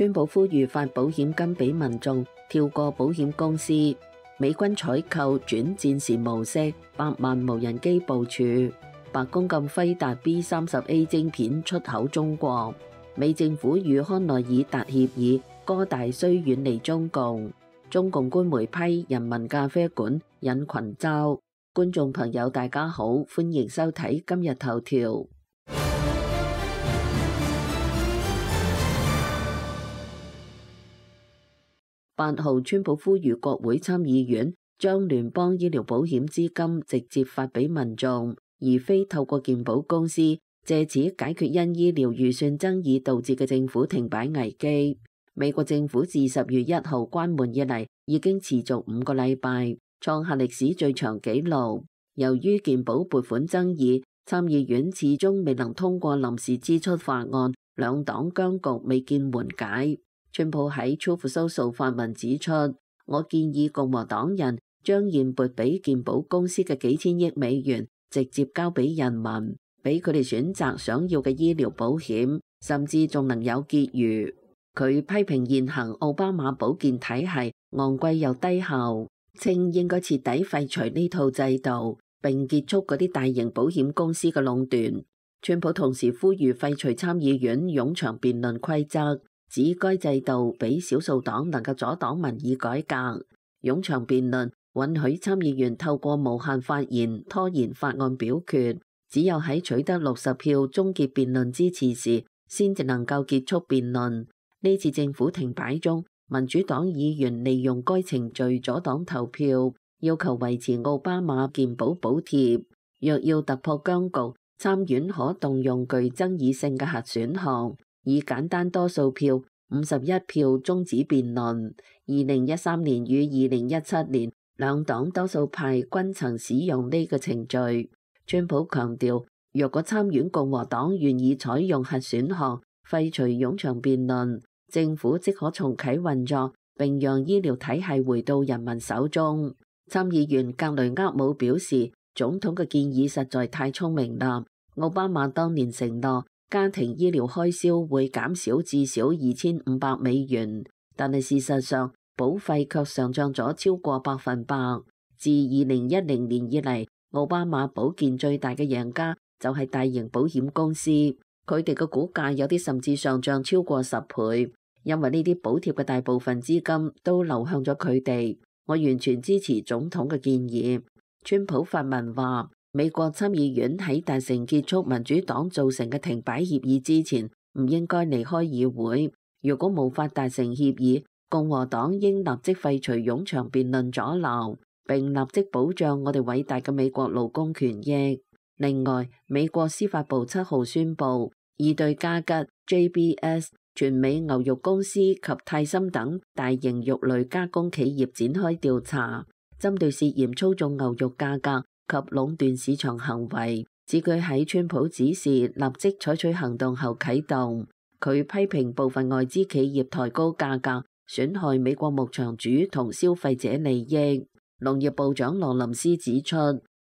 川普呼籲發保險金俾民眾，跳過保險公司。美軍採購轉戰時模式，100萬無人機部署。白宮禁輝達 B30A 晶片出口中國。美政府與康奈爾達協議，哥大需遠離中共。中共官媒批人民咖啡館引群嘲。觀眾朋友大家好，歡迎收睇今日頭條。8號，川普呼籲國會參議院將聯邦醫療保險資金直接發俾民眾，而非透過健保公司，借此解決因醫療預算爭議導致嘅政府停擺危機。美國政府自10月1號關門以嚟，已經持續5個禮拜，創下歷史最長紀錄。由於健保撥款爭議，參議院始終未能通過臨時支出法案，兩黨僵局未見緩解。川普喺 Truth Social 發文指出，我建議共和黨人將現撥俾健保公司嘅幾千億美元直接交俾人民，俾佢哋選擇想要嘅醫療保險，甚至仲能有結餘。佢批評現行奧巴馬保健體系昂貴又低效，稱應該徹底廢除呢套制度，並結束嗰啲大型保險公司嘅壟斷。川普同時呼籲廢除參議院冗長辯論規則，指該制度俾少數黨能夠阻擋民意改革。冗長辯論允許參議員透過無限發言拖延法案表決，只有喺取得60票終結辯論支持時，先至能夠結束辯論。呢次政府停擺中，民主黨議員利用該程序阻擋投票，要求維持奧巴馬健保補貼。若要突破僵局，參院可動用具爭議性嘅核選項，以簡單多數票51票終止辯論。2013年與2017年，兩黨多數派均曾使用呢個程序。川普強調，若果參院共和黨願意採用核選項，廢除冗長辯論，政府即可重啟運作，並讓醫療體系回到人民手中。參議員格雷厄姆表示，總統嘅建議實在太聰明啦。奧巴馬當年承諾家庭醫療開銷會減少至少2500美元，但係事實上保費卻上漲咗超過100%。自2010年以嚟，奧巴馬保健最大嘅贏家就係大型保險公司，佢哋嘅股價有啲甚至上漲超過10倍。因為呢啲補貼嘅大部分資金都流向咗佢哋，我完全支持總統嘅建議。川普發文話，美國參議院喺達成結束民主黨造成嘅停擺協議之前，唔應該離開議會。如果無法達成協議，共和黨應立即廢除冗長辯論阻撓，並立即保障我哋偉大嘅美國勞工權益。另外，美國司法部7號宣布，已對嘉吉、JBS、全美牛肉公司及泰森等大型肉類加工企業展開調查，針對涉嫌操縱牛肉價格及壟斷市場行為，指佢喺川普指示立即採取行動後啟動。佢批評部分外資企業抬高價格，損害美國牧場主同消費者利益。農業部長羅林斯指出，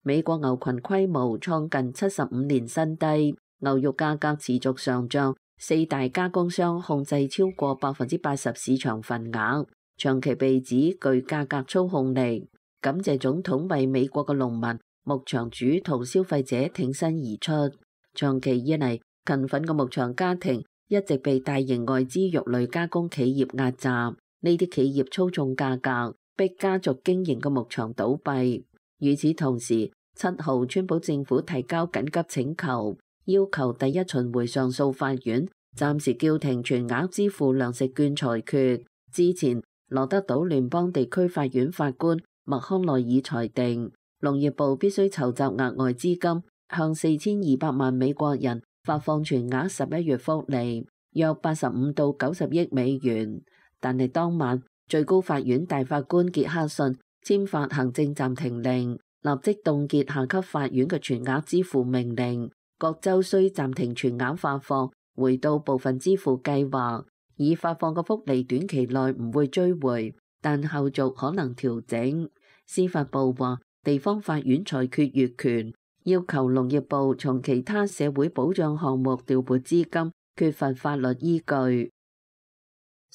美國牛群規模創近75年新低，牛肉價格持續上漲。4大加工商控制超過80%市場份額，長期被指具價格操控力。感謝總統為美國嘅農民、牧場主同消費者挺身而出。長期以嚟，勤奮嘅牧場家庭一直被大型外資肉類加工企業壓榨，呢啲企業操縱價格，逼家族經營嘅牧場倒閉。與此同時，7號川普政府提交緊急請求，要求第一巡迴上訴法院暫時叫停全額支付糧食券裁決。之前，羅德島聯邦地區法院法官麥康奈爾裁定，農業部必須籌集額外資金，向4200萬美國人發放全額11月福利，約85到90億美元。但係當晚，最高法院大法官傑克遜簽發行政暫停令，立即凍結下級法院嘅全額支付命令。各州需暫停全額發放，回到部分支付計劃。已發放嘅福利短期內唔會追回，但後續可能調整。司法部話，地方法院裁決越權，要求農業部從其他社會保障項目調撥資金，缺乏法律依據。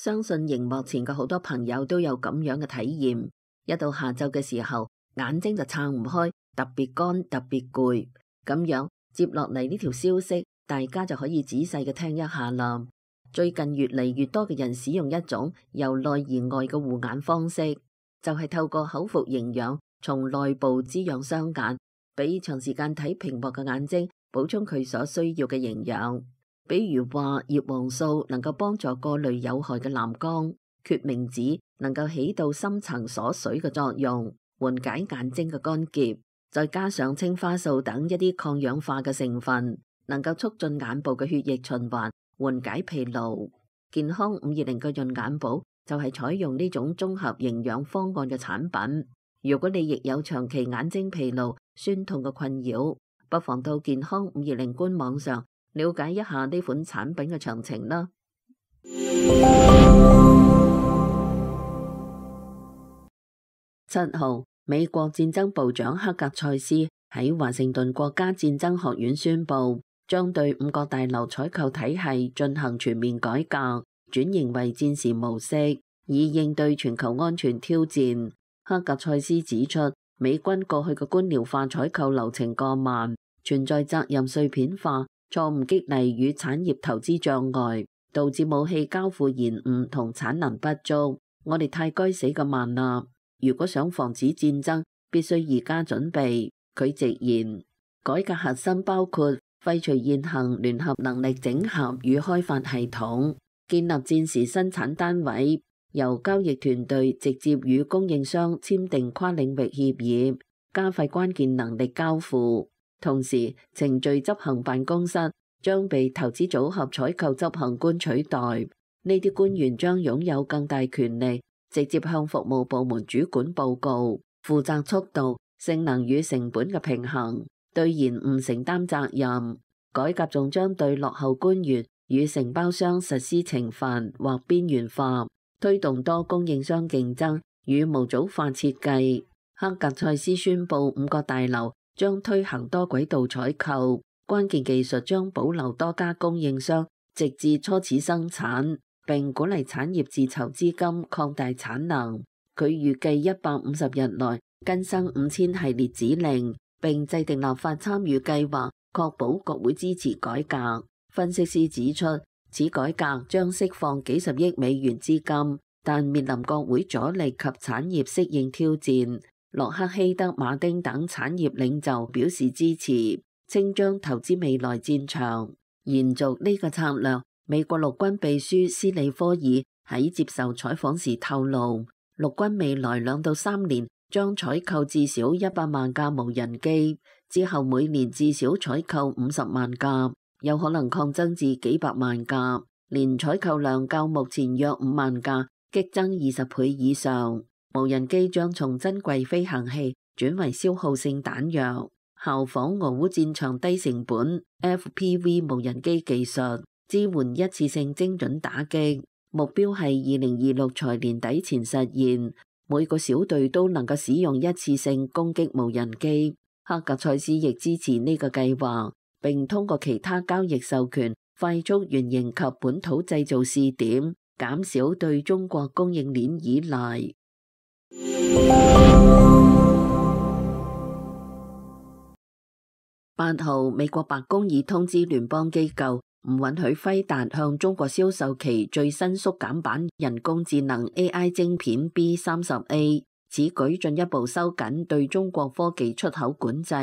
相信熒幕前嘅好多朋友都有咁樣嘅體驗，一到下晝嘅時候，眼睛就撐唔開，特別乾，特別攰。咁樣接落嚟呢條消息，大家就可以仔細嘅聽一下啦。最近越嚟越多嘅人使用一種由內而外嘅護眼方式，就係透過口服營養，從內部滋養雙眼，俾長時間睇屏幕嘅眼睛補充佢所需要嘅營養。比如話葉黃素能夠幫助過濾有害嘅藍光，決明子能夠起到深層鎖水嘅作用，緩解眼睛嘅乾澀，再加上青花素等一啲抗氧化嘅成分，能夠促進眼部嘅血液循環，緩解疲勞。健康520嘅潤眼寶就係採用呢種綜合營養方案嘅產品。如果你亦有長期眼睛疲勞、酸痛嘅困擾，不妨到健康520官網上了解一下呢款產品嘅詳情啦。7號，美國戰爭部長克格塞斯喺華盛頓國家戰爭學院宣布，將對五角大樓採購體系進行全面改革，轉型為戰時模式，以應對全球安全挑戰。克格塞斯指出，美軍過去嘅官僚化採購流程過慢，存在責任碎片化、錯誤激勵與產業投資障礙，導致武器交付延誤同產能不足。我哋太該死咁慢啦！如果想防止戰爭，必須而家準備。佢直言，改革核心包括廢除現行聯合能力整合與開發系統，建立戰時生產單位，由交易團隊直接與供應商簽訂跨領域協議，加快關鍵能力交付。同時，程序執行辦公室將被投資組合採購執行官取代，呢啲官員將擁有更大權力，直接向服務部門主管報告，負責速度、性能與成本嘅平衡，對延誤承擔責任。改革仲將對落後官員與承包商實施懲罰或邊緣化，推動多供應商競爭與模組化設計。克格塞斯宣布五角大樓將推行多軌道採購，關鍵技術將保留多家供應商，直至初始生產，並鼓勵產業自籌資金擴大產能。佢預計150日內更新5000系列指令，並制定立法參與計劃，確保國會支持改革。分析師指出，此改革將釋放幾十億美元資金，但面臨國會阻力及產業適應挑戰。洛克希德馬丁等產業領袖表示支持，稱將投資未來戰場。延續呢個策略，美國陸軍秘書斯里科爾喺接受採訪時透露，陸軍未來2到3年將採購至少100萬架無人機，之後每年至少採購50萬架，有可能擴增至幾百萬架，年採購量較目前約5萬架，激增20倍以上。無人機將從珍貴飛行器轉為消耗性彈藥，效仿俄烏戰場低成本 FPV 無人機技術，支援一次性精準打擊。目標係2026財年底前實現，每個小隊都能夠使用一次性攻擊無人機。克格塞斯亦支持呢個計劃，並通過其他交易授權，快速原型及本土製造試點，減少對中國供應鏈依賴。8號，美國白宮已通知聯邦機構唔允許輝達向中國銷售其最新縮減版人工智能 AI 晶片 B30A。此舉進一步收緊對中國科技出口管制，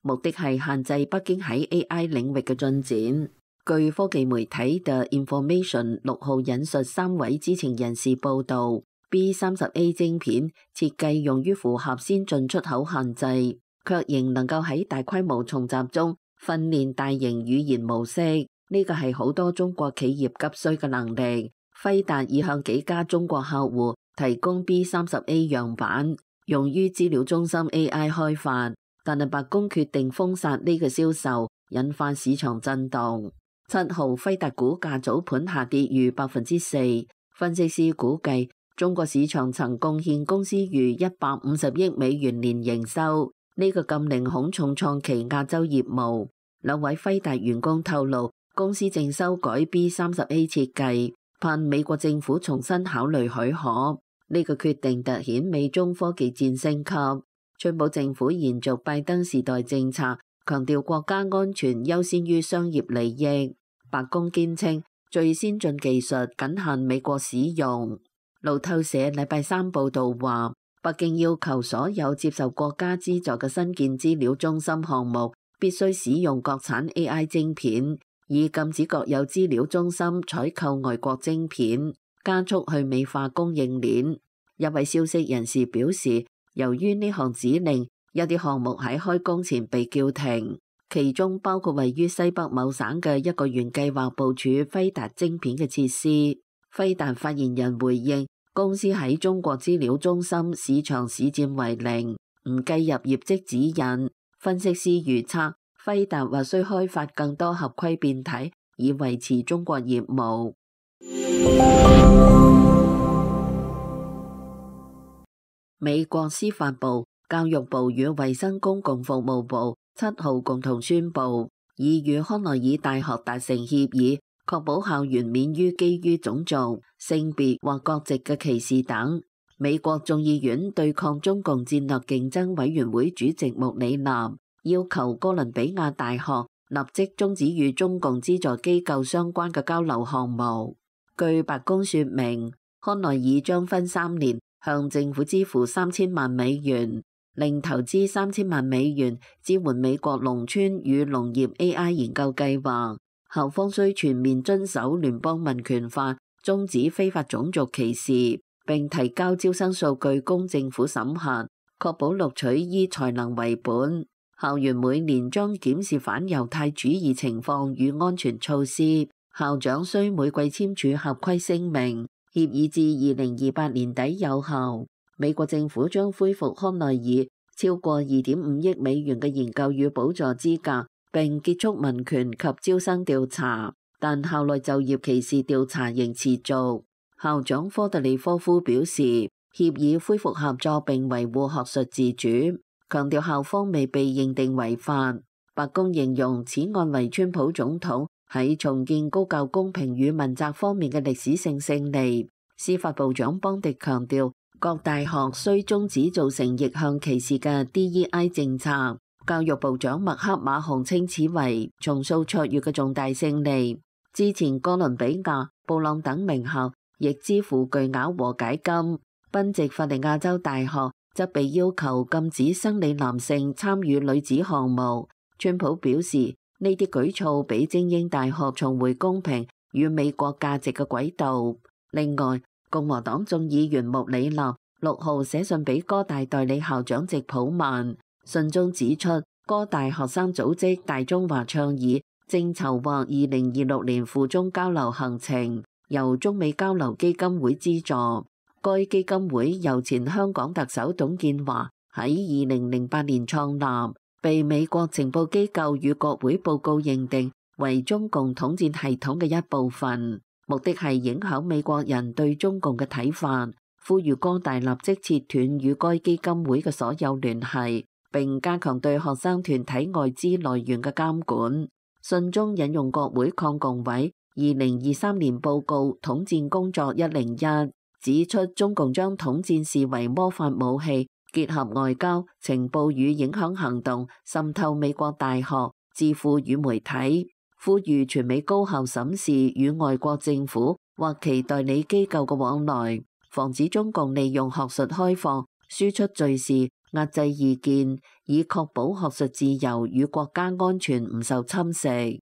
目的係限制北京喺 AI 領域嘅進展。據科技媒體 The Information 6號引述3位知情人士報道，B30A 晶片設計用於符合先進出口限制，卻仍能夠喺大規模重習中訓練大型語言模式。呢個係好多中國企業急需嘅能力。輝達已向幾家中國客戶提供 B30A 樣板，用於資料中心 AI 開發，但係白宮決定封殺呢個銷售，引發市場震動。7號，輝達股價早盤下跌逾4%。分析師估計，中國市場曾貢獻公司逾150億美元年營收，呢個禁令恐重創其亞洲業務。2位輝達員工透露，公司正修改 B30A 設計，盼美國政府重新考慮許可。呢個決定突顯美中科技戰升級。川普政府延續拜登時代政策，強調國家安全優先於商業利益。白宮堅稱最先進技術僅限美國使用。路透社禮拜三報導話，北京要求所有接受國家資助嘅新建資料中心項目必須使用國產 AI 晶片，以禁止國有資料中心採購外國晶片，加速去美化供應鏈。一位消息人士表示，由於呢項指令，有啲項目喺開工前被叫停，其中包括位於西北某省嘅一個原計劃部署輝達晶片嘅設施。輝達發言人回應，公司喺中國資料中心市場市佔為零，唔計入業績指引。分析師預測，輝達或需開發更多合規變體，以維持中國業務。美國司法部、教育部與衛生公共服務部7號共同宣布，已與康奈爾大學達成協議，確保校園免於基於種族、性別或國籍嘅歧視等。美國眾議院對抗中共戰略競爭委員會主席穆里南要求哥倫比亞大學立即終止與中共資助機構相關嘅交流項目。據白宮說明，康奈爾將分3年向政府支付3000萬美元，另投資3000萬美元支援美國農村與農業 AI 研究計劃。校方需全面遵守聯邦民權法，終止非法種族歧視，並提交招生數據供政府審核，確保錄取依才能為本。校園每年將檢視反猶太主義情況與安全措施。校長需每季簽署合規聲明，協議至2028年底有效。美國政府將恢復康奈爾超過2.5億美元嘅研究與補助資格，並結束民權及招生調查，但校內就業歧視調查仍持續。校長科特里科夫表示，協議恢復合作並維護學術自主，強調校方未被認定違法。白宮形容此案為川普總統喺重建高教公平與問責方面嘅歷史性勝利。司法部長邦迪強調，各大學需終止造成逆向歧視嘅 DEI 政策。教育部長麥克馬洪稱此為重塑卓越嘅重大勝利。之前哥倫比亞、布朗等名校亦支付巨額和解金，賓夕法尼亞州大學則被要求禁止生理男性參與女子項目。川普表示，呢啲舉措俾精英大學重回公平與美國價值嘅軌道。另外，共和黨眾議員穆里納6號寫信俾哥大代理校長席普曼，信中指出，哥大學生組織大中華倡議正籌劃2026年附中交流行程，由中美交流基金會資助。該基金會由前香港特首董建華喺2008年創立，被美國情報機構與國會報告認定為中共統戰系統嘅一部分，目的係影響美國人對中共嘅睇法，呼籲哥大立即切斷與該基金會嘅所有聯繫，並加強對學生團體外資來源嘅監管。信中引用國會抗共委2023年報告《統戰工作101》，指出中共將統戰視為魔法武器，結合外交、情報與影響行動，滲透美國大學、智庫與媒體，呼籲全美高校審視與外國政府或其代理機構嘅往來，防止中共利用學術開放、輸出敘事、壓制意見，以確保學術自由與國家安全唔受侵蝕。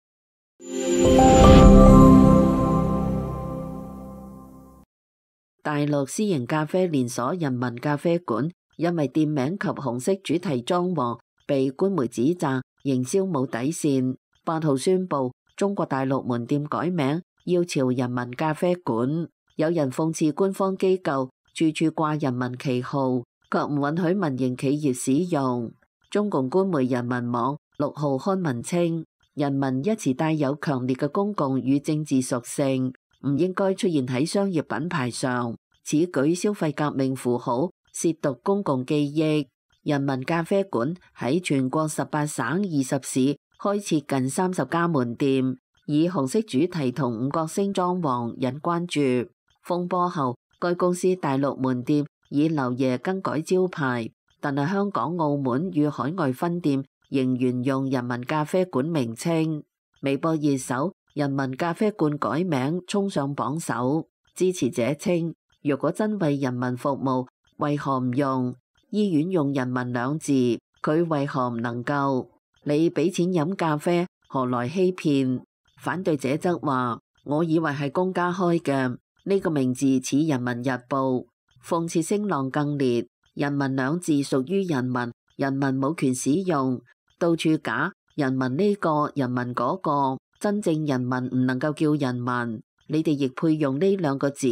大陸私營咖啡連鎖人民咖啡館因為店名及紅色主題裝潢被官媒指責營銷冇底線。8號宣布中國大陸門店改名，要朝人民咖啡館。有人諷刺官方機構處處掛人民旗號，卻唔允許民營企業使用。中共官媒人民網6號刊文稱，人民一詞帶有強烈嘅公共與政治屬性，唔應該出現喺商業品牌上。此舉消費革命符號，褻瀆公共記憶。人民咖啡館喺全國18省20市開設近30家門店，以紅色主題同五角星裝潢引關注。風波後，該公司大陸門店以劉爺更改招牌，但係香港、澳門與海外分店仍沿用人民咖啡館名稱。微博熱搜人民咖啡館改名衝上榜首，支持者稱：如果真為人民服務，為何唔用？醫院用人民兩字，佢為何唔能夠？你俾錢飲咖啡，何來欺騙？反對者則話：我以為係公家開嘅，呢個名字似人民日報。諷刺聲浪更烈，人民兩字屬於人民，人民冇權使用，到處假人民呢個人民嗰個，真正人民唔能夠叫人民，你哋亦配用呢兩個字？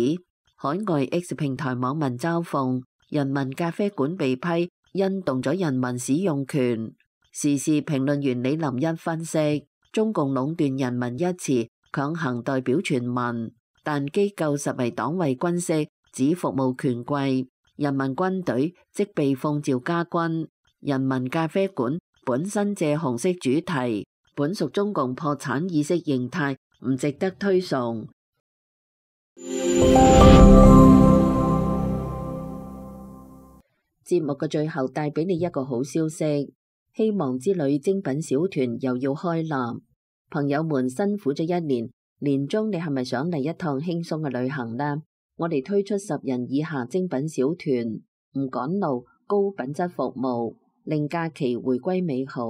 海外 X 平台網民嘲諷人民咖啡館被批，因動咗人民使用權。時事評論員李林一分析，中共壟斷人民一詞，強行代表全民，但機構實為黨為軍式，只服務權貴。人民軍隊即被奉召家軍，人民咖啡館本身借紅色主題，本屬中共破產意識形態，唔值得推崇。節目嘅最後帶俾你一個好消息，希望之旅精品小團又要開立。朋友們辛苦咗一年，年終你係咪想嚟一趟輕鬆嘅旅行呢？我哋推出10人以下精品小團，唔趕路，高品質服務，令假期回歸美好。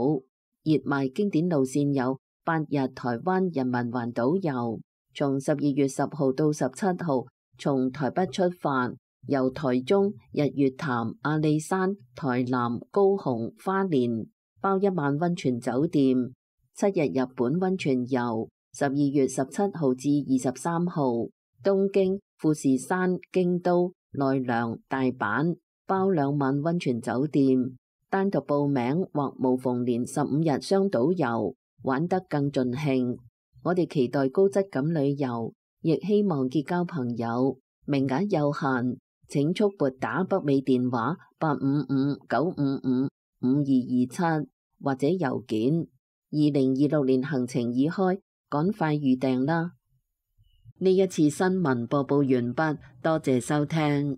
熱賣經典路線有8日台灣人民環島遊，從12月10號到17號，從台北出發，由台中、日月潭、阿里山、台南、高雄、花蓮，包1晚溫泉酒店，7日日本溫泉遊，12月17號至23號，東京、富士山、京都、奈良、大阪，包2晚溫泉酒店，單獨報名或無縫連15日雙島遊，玩得更盡興。我哋期待高質感旅遊，亦希望結交朋友，名額有限，請速撥打北美電話855-955-5227或者郵件。2026年行程已開，趕快預訂啦！呢一次新聞播報完畢，多謝收聽。